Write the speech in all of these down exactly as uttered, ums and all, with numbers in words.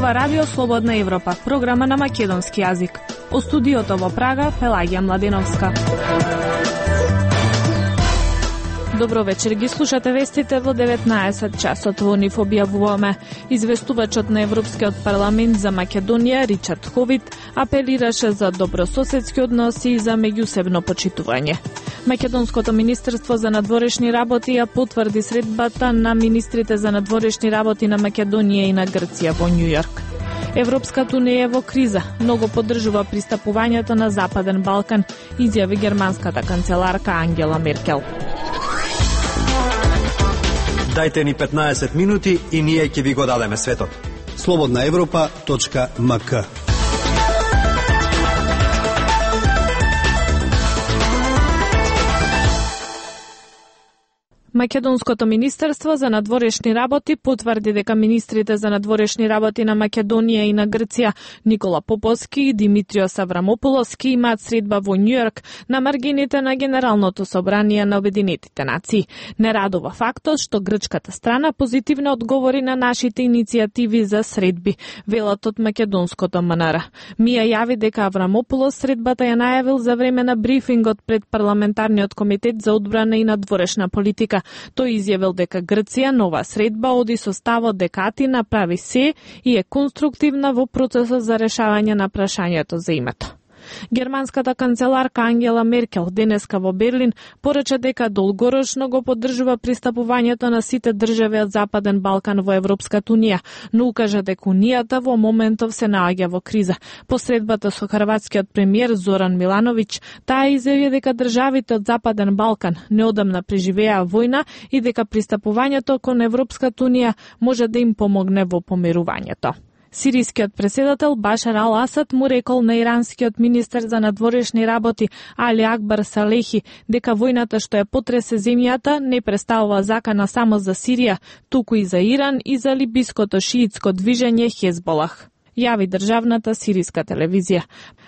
зборува Радио Слободна Европа, програма на македонски јазик. О студиото во Прага, Пелагија Младеновска. Добро вечер, ги слушате вестите во деветнаесет часот. Во нив објавуваме: известувачот на Европскиот парламент за Македонија Ричард Ховит апелираше за добрососедски односи и за меѓусебно почитување. Македонското министерство за надворешни работи ја потврди средбата на министрите за надворешни работи на Македонија и на Грција во Њујорк. Европската унија е во криза, многу поддржува пристапувањето на Западен Балкан, изјави германската канцеларка Ангела Меркел. Дајте ни петнаесет минути и ние ќе ви го дадеме светот. слободна европа точка ем ка. Македонското министерство за надворешни работи потврди дека министрите за надворешни работи на Македонија и на Грција Никола Поповски и Димитриос Аврамополос имаат средба во Њујорк на маргините на Генералното собрание на Обединетите нации. Не радува фактот што грчката страна позитивно одговори на нашите иницијативи за средби, велат од македонското ем ен ер. Мија јави дека Аврамополос средбата ја најавил за време на брифингот пред парламентарниот комитет за одбрана и надворешна политика. Тој изјавил дека Грција нова средба оди со ставот дека Атина прави се и е конструктивна во процесот за решавање на прашањето за името. Германската канцеларка Ангела Меркел денеска во Берлин порача дека долгорочно го поддржува пристапувањето на сите држави од Западен Балкан во Европската унија, но укажа дека унијата во моментов се наоѓа во криза. По средбата со хрватскиот премиер Зоран Милановиќ, таа изјави дека државите од Западен Балкан неодамна преживеа војна и дека пристапувањето кон Европската унија може да им помогне во помирувањето. Сирискиот преседател Башар ал Асад му рекол на иранскиот министер за надворешни работи Али Акбар Салехи дека војната што ја потресе земјата не представува закана само за Сирија, туку и за Иран и за либиското шиитско движење Хезболах, јави државната сириска телевизија.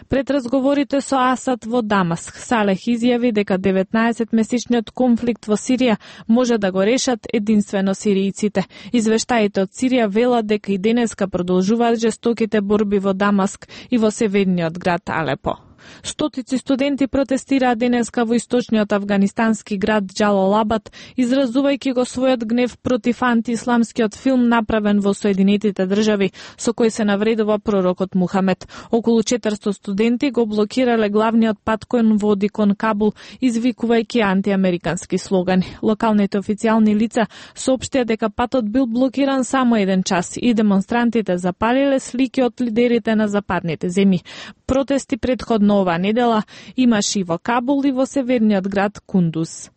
Пред разговорите со Асад во Дамаск, Салех изјави дека деветнаесетмесечниот конфликт во Сирија може да го решат единствено сиријците. Извештаите од Сирија велат дека и денеска продолжуваат жестоките борби во Дамаск и во северниот град Алепо. Стотици студенти протестираа денеска во источниот афганистански град Џалалабад, изразувајќи го својот гнев против антиисламскиот филм направен во Соединетите држави, со кој се навредува пророкот Мухамед. Околу четиристо студенти го блокирале главниот пат кој води кон Кабул, извикувајќи антиамерикански слогани. Локалните официјални лица соопштија дека патот бил блокиран само еден час и демонстрантите запалиле слики од лидерите на западните земји. Протести предходно оваа недела имаше и во Кабул и во северниот град Кундуз.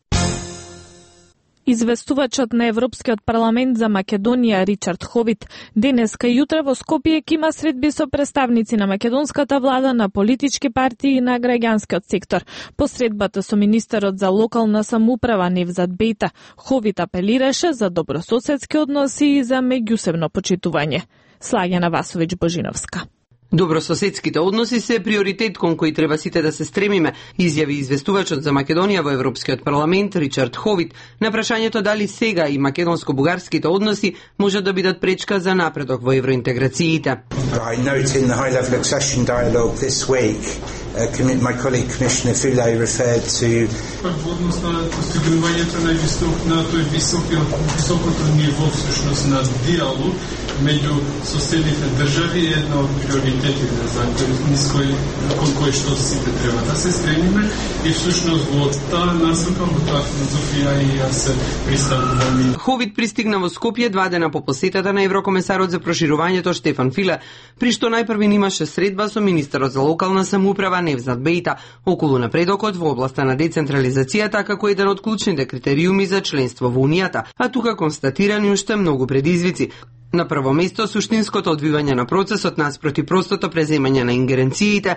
Известувачот на Европскиот парламент за Македонија Ричард Ховит денеска и утре во Скопје ќе има средби со представници на македонската влада, на политички партии и на граѓанскиот сектор. По средбата со министерот за локална самоуправа Невзат Бејта, Ховит апелираше за добрососедски односи и за меѓусебно почитување. Слагена Васовиќ Божиновска. Добрососедските односи се приоритет кон кој треба сите да се стремиме, изјави известувачот за Македонија во Европскиот парламент Ричард Ховит на прашањето дали сега и македонско-бугарските односи може да бидат пречка за напредок во евроинтеграциите. I note in the high-level accession dialogue this week, uh, my colleague Commissioner Füle referred to Односно на постигнувањето на на тој високиот високото ниво всушност на диалог меѓу соседните држави е една од приоритетите за кој кон кој што сите треба да се стремиме и всушност во таа насока, во таа филозофија и јас се приставувам. Ховит пристигна во Скопје два дена по посетата на еврокомесарот за проширувањето Штефан Филе, при што најпрви имаше средба со министерот за локална самоуправа Невзат Бејта околу напредокот во областа на децентрализацијата како еден од клучните критериуми за членство во Унијата, а тука констатирани уште многу предизвици. На прво место суштинското одвивање на процесот наспроти простото преземање на ингеренциите,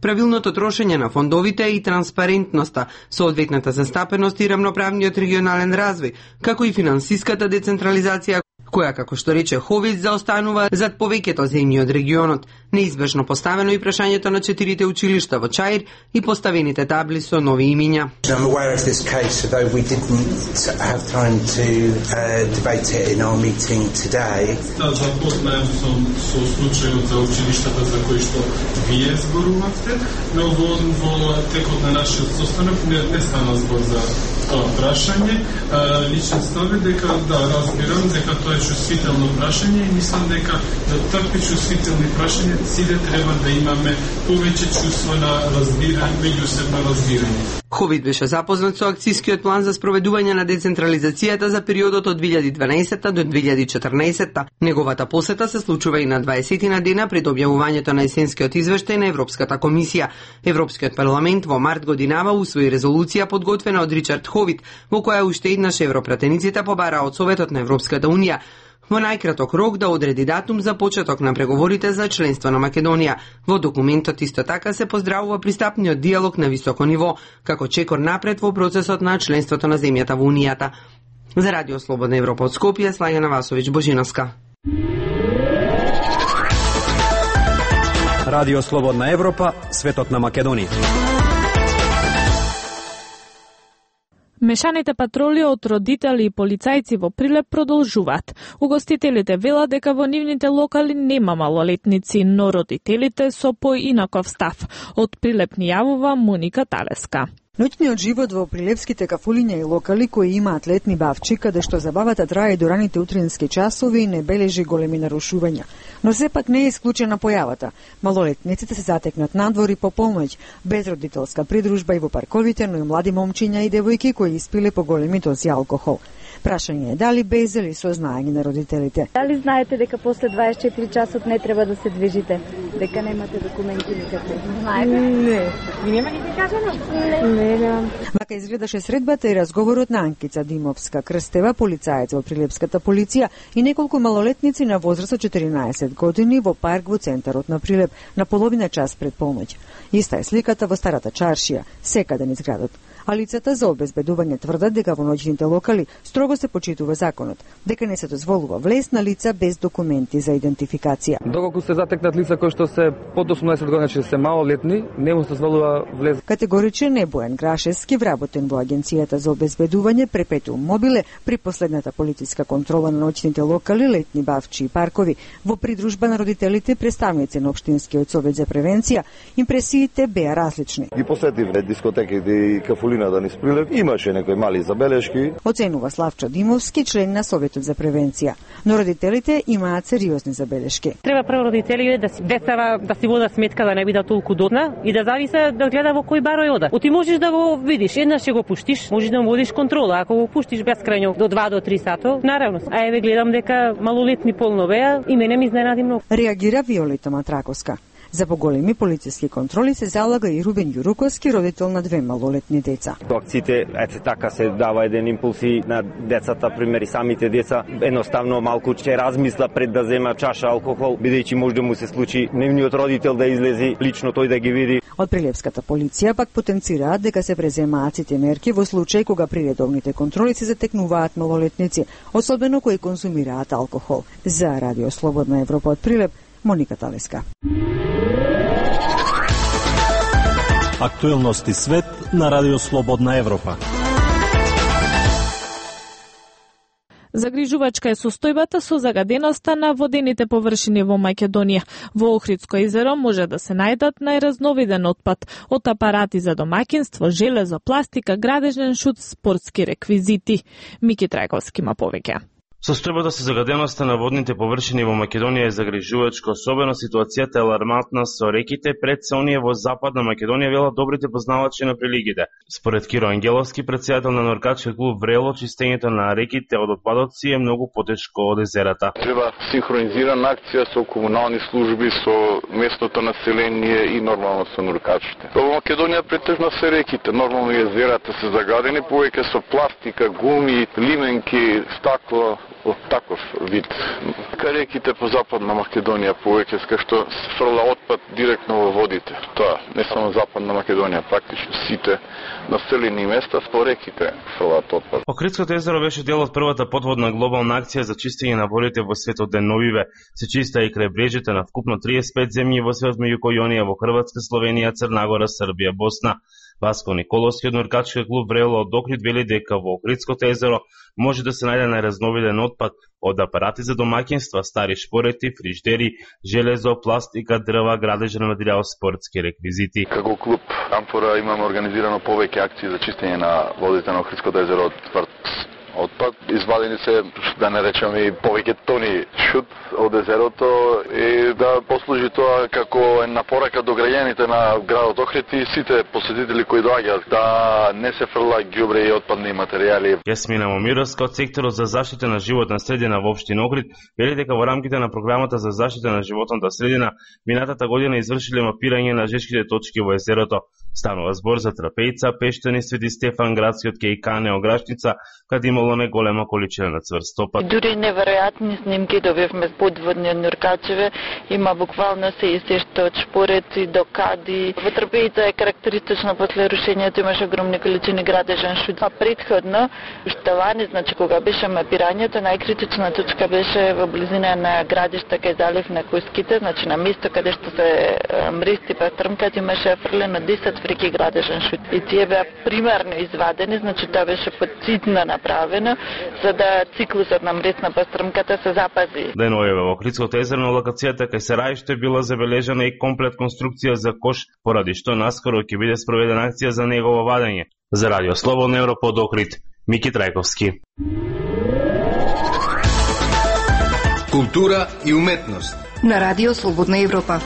правилното трошење на фондовите и транспарентноста, соодветната застапеност и рамноправниот регионален развој, како и финансиската децентрализација, која, како што рече Ховиц, заостанува зад повеќето земји од регионот. Неизбежно поставено и прашањето на четирите училишта во Чаир и поставените табли со нови имиња. I'm aware of this case, although we didn't have time to uh, debate it in our meeting today. Да, запознаем сум со случајот за училиштата за кои што вие зборувавте, но во, во текот на нашиот состанок не, не стана збор за тоа прашање. Личен став е дека, да, разбирам дека тоа е чувствително прашање и мислам дека за такви чувствителни прашања сите треба да имаме повеќе чувство на разбирање, меѓусебно разбирање. Ховид беше запознат со акцискиот план за спроведување на децентрализацијата за периодот од две илјади и дванаесетта до две илјади и четрнаесетта. Неговата посета се случува и на дваесетина дена пред објавувањето на есенскиот извештај на Европската комисија. Европскиот парламент во март годинава усвои резолуција подготвена од Ричард Ховид, во која уште еднаш европратениците побараа од Советот на Европската унија во најкраток рок да одреди датум за почеток на преговорите за членство на Македонија. Во документот исто така се поздравува пристапниот диалог на високо ниво, како чекор напред во процесот на членството на земјата во Унијата. За Радио Слободна Европа од Скопје, Слајана Васовиќ Божиновска. Радио Слободна Европа, светот на Македонија. Мешаните патроли од родители и полицајци во Прилеп продолжуваат. Угостителите велат дека во нивните локали нема малолетници, но родителите со поинаков став. Од Прилеп ни јавува Моника Талеска. Ноќниот живот во прилепските кафулиња и локали кои имаат летни бавчи, каде што забавата трае до раните утрински часови, не бележи големи нарушувања. Но сепак не е исклучена појавата. Малолетниците се затекнат надвор и по полноќ, без родителска придружба и во парковите, но и млади момчиња и девојки кои испиле по големи дози алкохол. Прашање е дали без или со знаење на родителите. Дали знаете дека после дваесет и четири часот не треба да се движите? Дека немате документи никакви? Знаете? Не. Ви нема ни да кажано? Не. Вака изгледаше средбата и разговорот на Анкица Димовска Крстева, полицаец во Прилепската полиција и неколку малолетници на возраст од четиринаесет години во парк во центарот на Прилеп на половина час пред полноќ. Иста е сликата во старата чаршија, секаде низ градот. А лицата за обезбедување тврдат дека во ноќните локали строго се почитува законот, дека не се дозволува влез на лица без документи за идентификација. Доколку се затекнат лица кои што се под осумнаесет години, че се малолетни, не му се дозволува влез. Категоричен е Бојан Грашевски, вработен во Агенцијата за обезбедување Перпетуум мобиле при последната полициска контрола на ноќните локали, летни бавчи и паркови. Во придружба на родителите, представници на Општинскиот совет за превенција, импресиите беа различни. Ги посетивме дискотеките и кафулината низ Прилеп, имаше некои мали забелешки. Оценува Славчо Димовски, член на Советот за превенција. Но родителите имаат сериозни забелешки. Треба прво родителите да си децава да си водат сметка да не бидат толку дотна и да зависе да гледа во кој барој ода. Оти можеш да го видиш, еднаш ќе го пуштиш, можеш да му водиш контрола, ако го пуштиш бескрајно до два до три сато, наравно. А еве гледам дека малолетни полно беа и мене ми изненади многу. Реагира Виолета Матраковска. За поголеми полициски контроли се залага и Рубен Јуруковски, родител на две малолетни деца. Акциите, ете така се дава еден импулс и на децата, примери самите деца, едноставно малку ќе размисла пред да зема чаша алкохол, бидејќи може да му се случи нивниот родител да излези лично тој да ги види. Од Прилепската полиција пак потенцираат дека се преземаат сите мерки во случај кога при редовните контроли се затекнуваат малолетници, особено кои консумираат алкохол. За Радио Слободна Европа од Прилеп, Моника Талеска. Актуелности свет на Радио Слободна Европа. Загрижувачка е состојбата со загаденоста на водените површини во Македонија. Во Охридско езеро може да се најдат најразновиден отпад, од апарати за домаќинство, железо, пластика, градежен шут, спортски реквизити. Мики Трајковски има повеќе. Состојбата со загаденоста на водните површини во Македонија е загрижувачка, особено ситуацијата е алармантна со реките, пред се оние во Западна Македонија, велат добрите познавачи на прилигите. Според Киро Ангеловски, председател на Норкачки клуб Врело, чистењето на реките од отпадоци е многу потешко од езерата. Треба синхронизирана акција со комунални служби, со местното население и нормално со норкачите. Во Македонија претежно се реките, нормално езерата се загадени, повеќе со пластика, гуми, лименки, стакло, во таков вид. Реките по Западна Македонија повеќе ска што се фрла отпад директно во водите. Тоа не само Западна Македонија, практично сите населени места по реките фрлаат отпад. Охридското езеро беше дел од првата подводна глобална акција за чистење на водите во светот. Деновиве се чиста и крај брежите на вкупно триесет и пет земји во светот, меѓу кои оние во Хрватска, Словенија, Црнагора, Србија, Босна. Васко Николовски од Нуркачки клуб Врело од Охрид вели дека во Охридското езеро може да се најде најразновиден отпад од апарати за домаќинства, стари шпорети, фриждери, железо, пластика, дрва, градежен материјал, спортски реквизити. Како клуб Амфора имаме организирано повеќе акции за чистење на водите на Охридското езеро од тврд отпад. Извадени се, да не речеме, и повеќе тони шут од езерото и да послужи тоа како една порака до граѓаните на градот Охрид и сите посетители кои доаѓаат да не се фрла ѓубре и отпадни материјали. Јасмина Момировска од секторот за заштита на животна средина во општина Охрид вели дека во рамките на програмата за заштита на животната средина минатата година извршиле мапирање на жешките точки во езерото. Станува збор за Трапејца, Пештани, Свети Стефан, градскиот Кејкане, Ограшница, каде имало неголема количина на цврст отпад. Дури неверојатни снимки добивме подводни Нуркачеве, има буквално се и се што од шпореци до кади. Во Трапејца е карактеристично после рушењето имаше огромни количини градежен шут. А предходно, уште лани, значи кога беше мапирањето, најкритична точка беше во близина на градишта кај залив на Куските, значи на место каде што се мрести пастрмкат имаше фрлено десет фрики градежен шут. И тие беа примерно извадени, значи тоа беше подцитно направено, за да циклусот на мресна пастрмката се запази. Деновиве во Охридското езеро на локацијата кај Сарајшто била забележана и комплет конструкција за кош, поради што наскоро ќе биде спроведена акција за негово вадење. За Радио Слободна Европа од Охрид, Мики Трајковски. Култура и уметност на Радио Слободна Европа.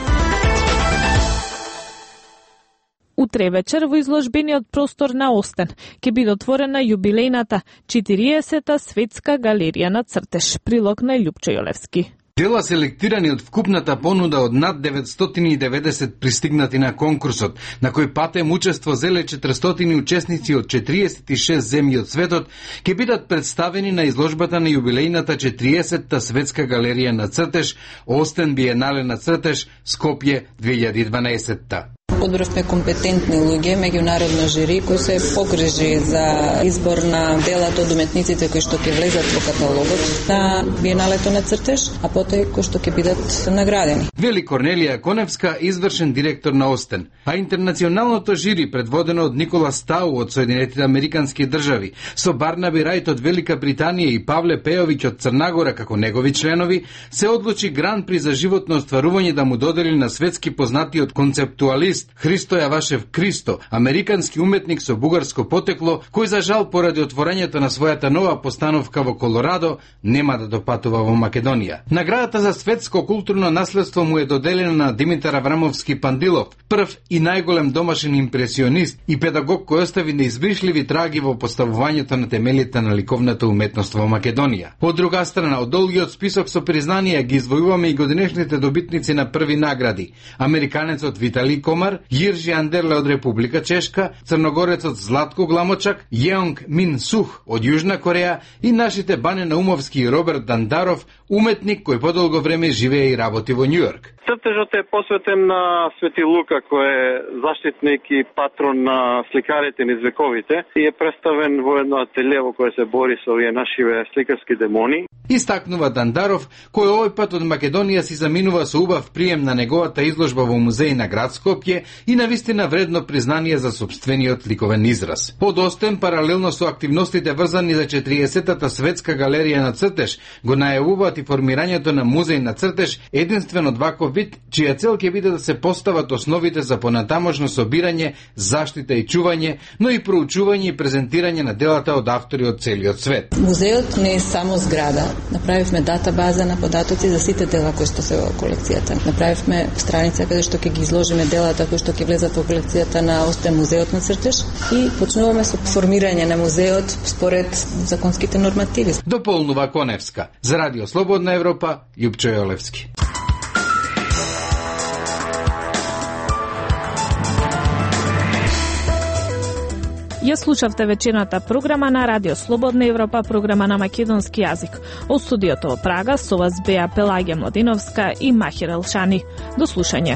Утре вечер во изложбениот простор на Остен ќе биде отворена јубилејната четириесета светска галерија на цртеж. Прилог на Љупчо Јолевски. Дела селектирани од вкупната понуда од над деветстотини и деветдесет пристигнати на конкурсот, на кој патем учество зеле четиристотини учесници од четириесет и шест земји од светот, ќе бидат представени на изложбата на јубилејната четириесетта светска галерија на цртеж, Остен биенале на цртеж, Скопје две илјади и дванаесетта. Одборавме компетентни луѓе, меѓународно жири, кои се погрижи за избор на делата од уметниците кои што ќе влезат во каталогот на биеналето на цртеж, а потоа кои што ќе бидат наградени. Вели Корнелија Коневска, извршен директор на Остен, а интернационалното жири предводено од Никола Стау од Соединетите Американски држави, со Барнаби Рајт од Велика Британија и Павле Пејовиќ од Црнагора како негови членови, се одлучи Гран при за животно остварување да му додели на светски познатиот концептуалист Христо Јавашев Кристо, американски уметник со бугарско потекло, кој за жал поради отворањето на својата нова постановка во Колорадо нема да допатува во Македонија. Наградата за светско културно наследство му е доделена на Димитар Аврамовски Пандилов, прв и најголем домашен импресионист и педагог кој остави неизбришливи траги во поставувањето на темелите на ликовната уметност во Македонија. Од друга страна, од долгиот список со признанија ги извојуваме и годинешните добитници на први награди: американецот Витали Комар, Јиржи Андерле од Република Чешка, црногорецот Златко Гламочак, Јеонг Мин Сух од Јужна Кореја и нашите Бане Наумовски и Роберт Дандаров, уметник кој подолго време живее и работи во Њујорк. Цртежот е посветен на Свети Лука, кој е заштитник и патрон на сликарите низ вековите и е представен во едно ателје во кое се бори со овие нашиве сликарски демони. Истакнува Дандаров, кој овој пат од Македонија си заминува со убав прием на неговата изложба во музеј на град Скопје и навистина вредно признание за собствениот ликовен израз. Од Остен, паралелно со активностите врзани за четириесеттата светска галерија на цртеж, го најавуваат и формирањето на музеј на цртеж, единствен од ваков вид, чија цел ќе биде да се постават основите за понатамошно собирање, заштита и чување, но и проучување и презентирање на делата од автори од целиот свет. Музеот не е само зграда. Направивме датабаза на податоци за сите дела кои што се во колекцијата. Направивме страница каде што ќе ги изложиме делата кои што ќе влезат во колекцијата на Остен музеот на цртеж и почнуваме со формирање на музеот според законските нормативи. Дополнува Коневска. За Радио Слободна Европа, Љупчо Јолевски. Ја слушавте вечерната програма на Радио Слободна Европа, програма на македонски јазик. Од студиото во Прага со вас беа Пелагија Младиновска и Махир Елшани. До слушање.